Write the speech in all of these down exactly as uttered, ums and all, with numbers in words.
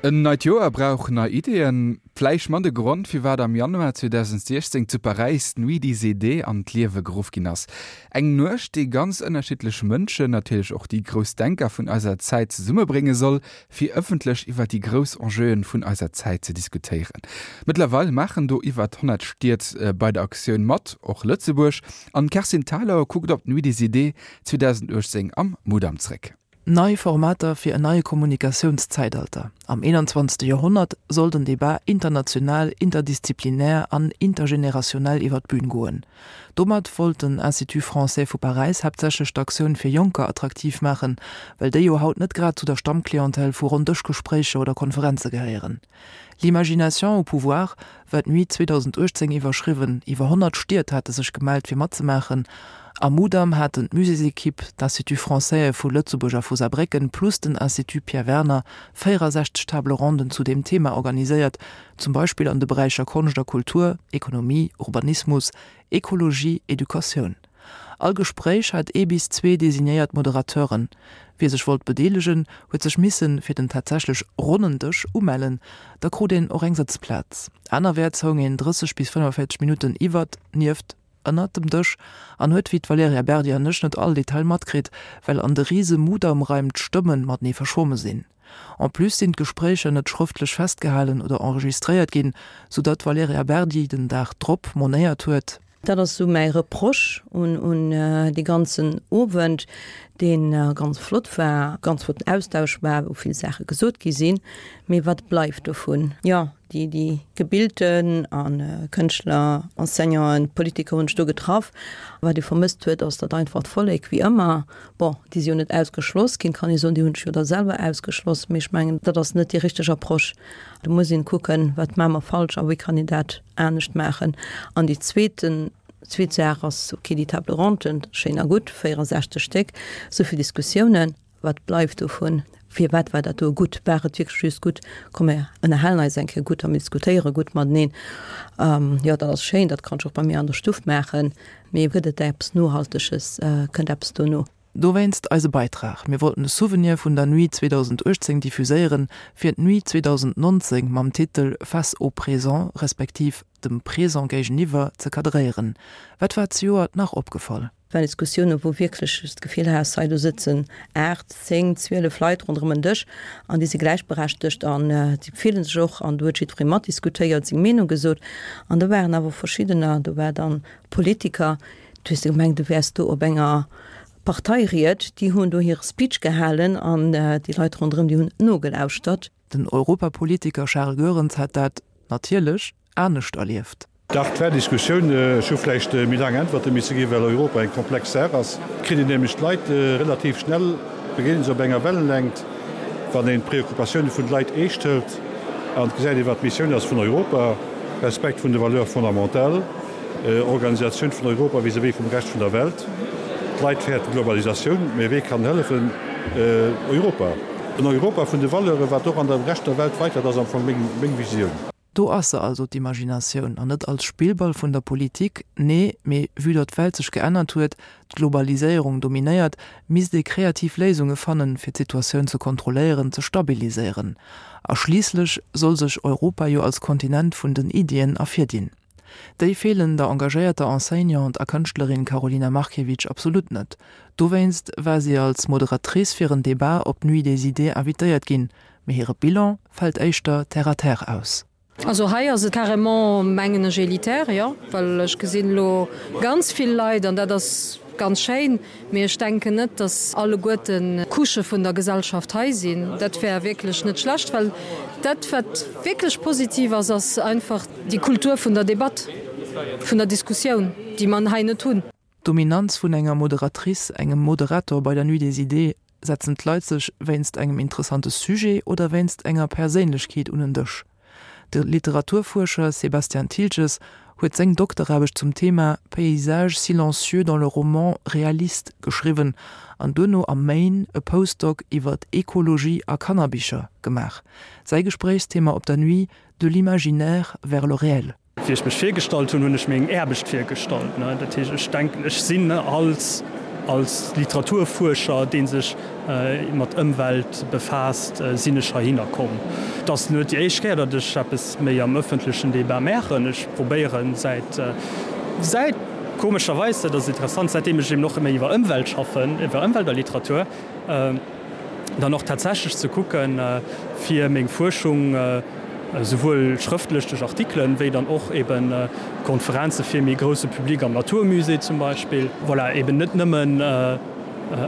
En neit Joer brauch nei Ideeën. Vläicht mat de Grond, firwat am Januar zweedausendsiechzéng zu Paräis d'Nuit des idées an d'Liewe geruff ginn ass. Eng Nuecht, déi ganz ënnerschiddlech Mënschen, natierlech och déi grouss Denker vun eiser Zäit zesummebrénge soll, fir ëffentlech iwwer déi grouss Enjeuen vun eiser Zäit ze diskutéieren. Mëttlerweil maachen do iwwer honnert Stied bei der Aktioun mat, och Lëtzebuerg. An d'Kerstin Thalau kuckt op d'Nuit des idées zweedausenduechtzéng am Mudam zréck. Nei Formater fir en neie Kommunikatiounszäitalter. Am eenanzwanzegste Joerhonnert soll den Debat international, interdisziplinär an intergenerationell iwwer d'Bün goen. Domat wollt den Institut français vu Paräis haaptsächlech d'Aktioun fir Jonker attraktiv maachen, well déi jo haut net grad zu der Stammclientèle vu Ronndëschgespréicher oder Konferenze gehéieren. L'imagination au pouvoir war d'Nuit zweedausenduechtzéng iwwerschriwwen. Iwwer honnert Stied hate sech gemellt fir matzemaachen. Am Mudam haten d'Muséesekipp, d'Instituts française vu Lëtzebuerg a vu Saarbrécken plus den Institut Pierre Werner véierasechzeg Table ronden zu deem Thema organiséiert, zum Beispill an de Beräicher Konscht a Kultur, Ekonomie, Urbanismus, Ekologie, Educatioun. All Gespréich hat ee bis zwee designéiert Moderateuren. Wie sech wollt bedeelegen, huet sech misse fir den tatsächlech ronnen Dësch umellen, da krut een och eng Sëtzplaz. Anerwäerts houng een drësseg bis fënnefenvéierzeg Minutten iwwert, nieft, ënnert dem Dësch an huet wéi d'Valerija Berdi an ech net all Detail matkritt, well an de rise Mudam-Raim d'Stëmme matenee verschwomme sinn. En plus sinn d'Gespréicher net schrëftlech festgehalen oder enregistréiert ginn, soudatt d'Valerija Berdi den Dag drop monéiert huet. Dat ass sou mäi Reproche un un dee ganzen Owend, dee ganz flott war, ganz flotten Austausch war, wou vill Saache gesot gi sinn. Mee wat bleift dovun? Jo, déi déi Gebilten a Kënschtler, Enseignanten, Politiker hunn sech do getraff. Wat ee vermësst huet, ass datt einfach d'Vollek, wéi ëmmer, bon, déi si jo net ausgeschloss ginn, kann ee soen, déi hunn sech jo da selwer ausgeschloss, mee ech mengen, dat ass net déi richteg Approche. Do muss een kucken, wat maache mer falsch a wéi kann een dat anescht maachen. An déi zweeten, zweet Saach ass, okay, déi Table ronden, schéin a gutt, véierundsechzeg Stéck, esou vill Diskussiounen, wat bleift dovun? Firwat war dat do gutt? War et wierklech just gutt, komm mir ënnerhalen eis eng Kéier gutt a mir diskutéiere gutt mateneen? Jo, dat ass schéin, dat kann ech och bei mir an der Stuff maachen, mee gëtt et eppes Nohalteges, kënnt eppes dono? Dowéinst eise Beitrag, Mir wollten e Souvenir vun der Nuit zweedausenduechtzéng diffuséieren, fir d'Nuit zweedausendnonzéng mam Titel Face au présent, respektiv dem Présent géigeniwwer, ze kadréieren. Wat war zejoert nach opgefall? Waren Diskussiounen, wou wierklech s d'Gefill has, hei do sëtzen aacht, zéng, zwielef Leit ronderëm en Dësch an déi si gläichberechtegt an déi fillen sech och an do huet jiddweree matdiskutéiert, seng Meenung gesot. An do waren awer verschiddener, do war dann Politiker, du hues gemengt, du wäers do op enger Parteiried, déi hunn do hire Speech gehalen an déi Leit ronderëm, déi hunn nogelauschtert. Den Europapolitiker Charles Goerens hat dat, natierlech, anescht erlieft. Dach, et war Diskussioun. Ech hu vläicht méi laang Äntwerte misse ginn, well Europa eng komplex Saach ass. Et kritt een nämlech d'Leit relativ schnell, begéint se op enger Wellenlängt, wann een d'Preoccupatioune vun de Leit eescht hëlt an et gesäit een, wat d'Missioun ass vun Europa, Respekt vun de Valeurs fondamentales, Organisatioun vun Europa vis-à-vis vum Rescht vun der Welt. D'Leit fäerten d'Globalisatioun, mä wee kann hëllefen? Europa. En Europa vun de Valeuren, wat och an der Rescht der Welt weiter, dat ass am Fong meng Visioun. Do ass se also, d'Imaginatioun, an net als Spillball vun der Politik, nee, mee vue datt d'Welt sech geännert huet, d'Globaliséierung dominéiert, misst ee kreativ Léisunge fannen, fir d'Situatioun ze kontrolléieren, ze stabiliséieren. A schliisslech soll sech Europa jo als Kontinent vun den Iddien ervirdinn. Déi feelen der engagéierter Enseignante a Kënschtlerin Karolina Markiewicz absolut net. Dowéinst war si als Moderatrice fir en Debat op d'Nuit des idées invitéiert ginn, mee hire Bilan fält éischter terre à terre aus. Also hei ass et carrément, mengen ech, elitär, jo, well ech gesinn elo ganz vill Leit an dat ass ganz schéin, mee ech denken net, datt alleguerten d'Couchë vun der Gesellschaft hei sinn. Dat wär wierklech net schlecht, well dat, wat wierklech positiv ass, ass einfach déi Kultur vun der Debatt, vun der Diskussioun, déi mer hei net hunn. D'Dominanz vun enger Moderatrice, engem Moderator bei der Nuit des idées, Setzen d'Leit sech wéinst engem interessante Sujet oder wéinst enger Perséinlechkeet un en Dësch? De Literaturfuerscher Sebastian Thiltges huet seng Dokteraarbecht zum Thema Paysages silencieux dans le roman réaliste geschriwwen an duerno am Maine e Postdoc iwwer Ekologie a Kannerbicher gemaach. Säi Gespréichsthema op der Nuit, De l'imaginaire vers le réel. Wéi ech mech virgestallt hunn, hunn ech meng Aarbecht virgestallt. Dat heescht, ech denken, ech sinn als Als Literaturfuerscher, dee sech mat Ëmwelt befaasst, sinn ech heihinner komm. Et ass net déi éischt Kéier, datt ech eppes méi am ëffentlechen Debat maachen. Ech probéieren säit, säit, komescherweis, dat ass interessant, säitdeem ech eben och méi iwwer Ëmwelt schaffen, iwwer Ëmwelt a Literatur, dann och tatsächlech ze kucken, fir meng Fuerschung esouwuel schrëftlech duerch Artikelen, wéi dann och eben Konferenze fir méi grousse Public am Naturmusée zum Beispill, voilà, eben net nëmmen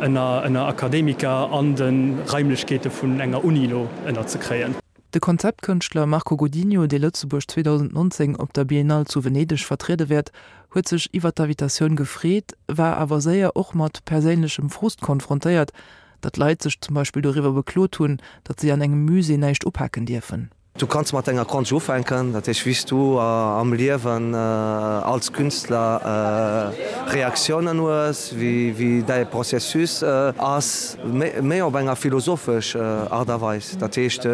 ënner ënner Akademiker an de Raimlechkeete vun enger Uni elo ënnerzekréien. De Konzeptkënschtler Marco Godinho, dee Lëtzebuerg zweedausendnonzéng op der Biennale zu Venedeg vertriede wäert, huet sech iwwer d'Invitatioun gefreet, war awer séier och mat perséinlechem Frust konfrontéiert, datt Leit sech zum Beispill doriwwer beklot hunn, datt si an engem Musée näischt upaken dierfen. Du kanns mat denger Konscht ufänken, dat heescht wéi s du am Liewen als Künstler Reaktiounen hues, wéi däi Processus ass, méi op enger philosophesch Aart a Weis. Dat heescht,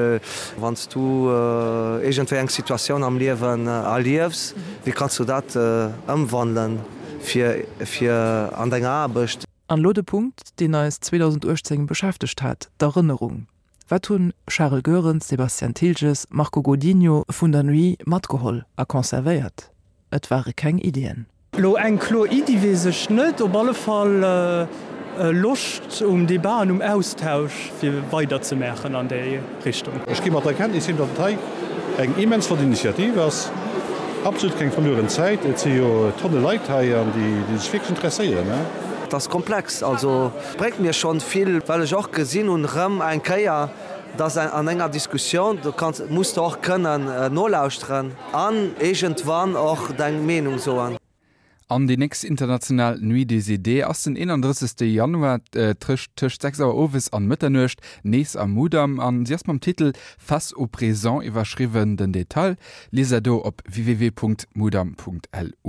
wann s du iergendwéi eng Situatioun am Liewen erliefs, wéi kanns du dat ëmwandelen fir fir an denger Aarbecht? An elo de Punkt, deen eis zweedausendachtzéng beschäftegt hat, d'Erënnerung. Wat hunn Charel Goerens, Sebastian Thiltges, Marco Godinho vun der Nuit matgeholl a conservéiert? Et ware keng Iddien. Elo eng kloer Iddi weess ech net, op alle Fall Loscht um Debat an um Austausch fir weider ze maachen an déi Richtung. Ech gi mat der Kenntnis heem, datt et hei eng immens flott Initiativ ass, absolut keng verlueren Zäit. Et si jo Tonne Leit hei an déi sech wierklech interesséieren. Et ass komplex, also bréngt mir schonn vill, well ech och gesinn hunn erëm eng Kéier, dass an enger Diskussioun, do kanns, muss de och kënnen nolauschteren an iergendwann och deng Meenung soen. An déi nächst international Nuit des Idées ass den eenandrëssegste Januar tëscht tëscht sechs Auer owes an Mëtternuecht nees am Mudam an si ass mam Titel Face au présent iwwerschriwwen. Den Detail liest der do op www.mudam.lu.